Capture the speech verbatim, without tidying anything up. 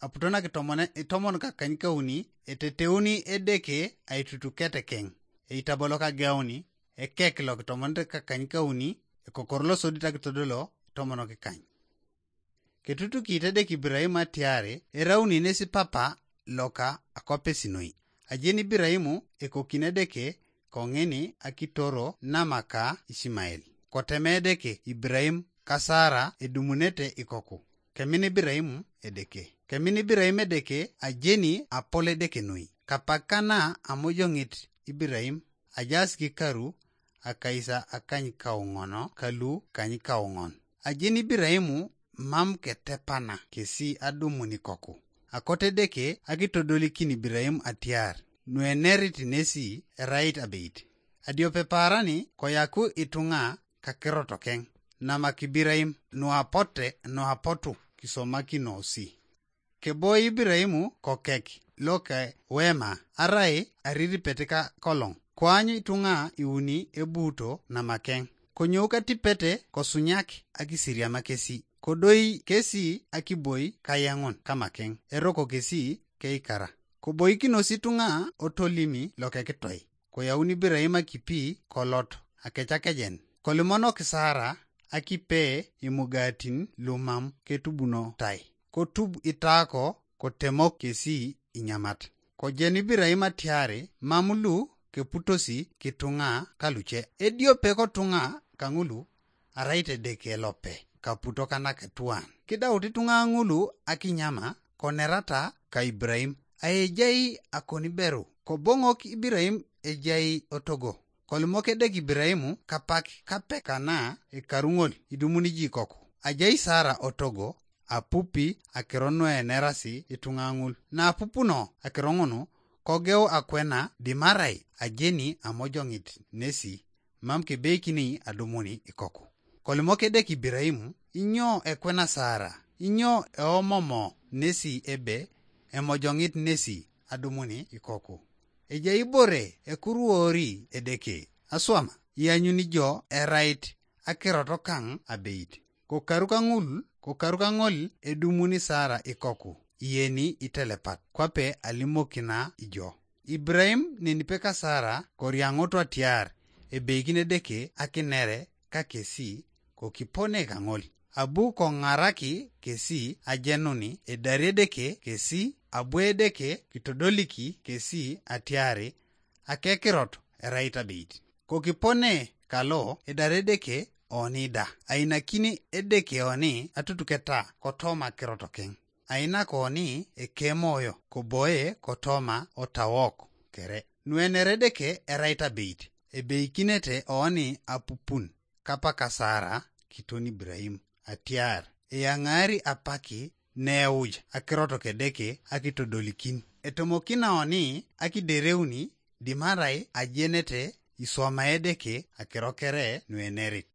aputo na kitomone itomon kakany kauni, eteteuni Edeke aitutuket keng, eitabolo kageuni, ekek lo kitomonete kakany kauni, ekokor lo sodit akitodolo itomon kikany. Ketutukit Edeke Ibrahim atiari erauni nesi papa loka akopesinoi. Ajeni Ibrahim ekokin Edeke kong'ini akitoro namaka Ishmael. Koteme Edeke Ibrahim ka Sara edumunete ikoku. Kemin Ibrahim Edeke. Kemin Ibrahim Edeke ajeni apol Edeke noi. Kapakana amojong'it Ibrahim ajaas kikaru akaisa akany kaung'ono kalu kany kaung'on. Ajeni Ibrahim mam ketepana kesi adumun ikoku. Akote Edeke akitodolikin Ibrahim atiar nuenerit nesi erait abeit. Adiope paarani koyaku itung'a kakirot keng. Namak Ibrahim nuapote nuapotu kisomakinosi. Keboi Ibrahim kokek loke wema arai ariripet ka kolong. Koany itung'a iuni ebuuto namakeng. Konyou katipete kosunyak akisiriama kesi. Kodoi kesi akiboi kayeŋun kamakeng. Eroko kesi keikara. Koboikinos itung'a otolimi lokekitoi. Koyaun Ibrahim akipi kolot akecakejen. Kolimonok Sara akipe imugatin lumam ketubunotai. Kotub itaako kotemok kesi inyamat. Kojen Ibrahim atiari mam lu keputosi kitung'a kaluce. Ediope kotung'a kaŋulu arait Edeke lope kaputo kanakatuan. Kidaut ituŋa ŋulu akinyama konerata ka Ibrahim. Aejai akoniberu koboŋok Ibrahim ejai otogo. Kolimok Edeke Ibrahim kapak kape kana ekaru ŋol idumuni jikoku. Ajai Sara otogo apupi akiro nuenerasi ituŋa ŋul. Naapupuno akiro ŋunu kogeu akwena dimarai ajeni amojoŋit nesi mam kebeikini adumuni ikoku. Kolimok Edeke Ibrahim, inyo ekwena Sara? Inyo eomomo nesi ebe emojoŋit nesi adumuni ikoku? Ejai ibore ekuruori Edeke aswama, ianyuni jo erait akirot kaŋ abeit. Kokaru kaŋul, kokaru kaŋol edumuni Sara ikoku, iyeni itelepat, kwape alimokina ijo. Ibrahim nenipe ka Sara koriaŋoto atiar ebeikin Edeke akinere ka kesi, kokipone kaŋol. Abu koŋaraki kesi ajenuni edari Edeke kesi, abu Edeke kitodoliki kesi atiari akekirot erait abeit. Kokipone kalo edari Edeke oni da, ainakini Edeke oni atutuketa kotoma kirot keŋ. Ainak oni ekemoyo koboe kotoma otawok kere. Nuenere Edeke erait abeit, ebeikinete oni apupun kapaka Sara kiton Ibrahim atiar eyaŋaari apaki neuj akirot Edeke akitodolikin. Etomokina oni akidereuni dimarai ajenete iswama Edeke akiro kere nuenerit.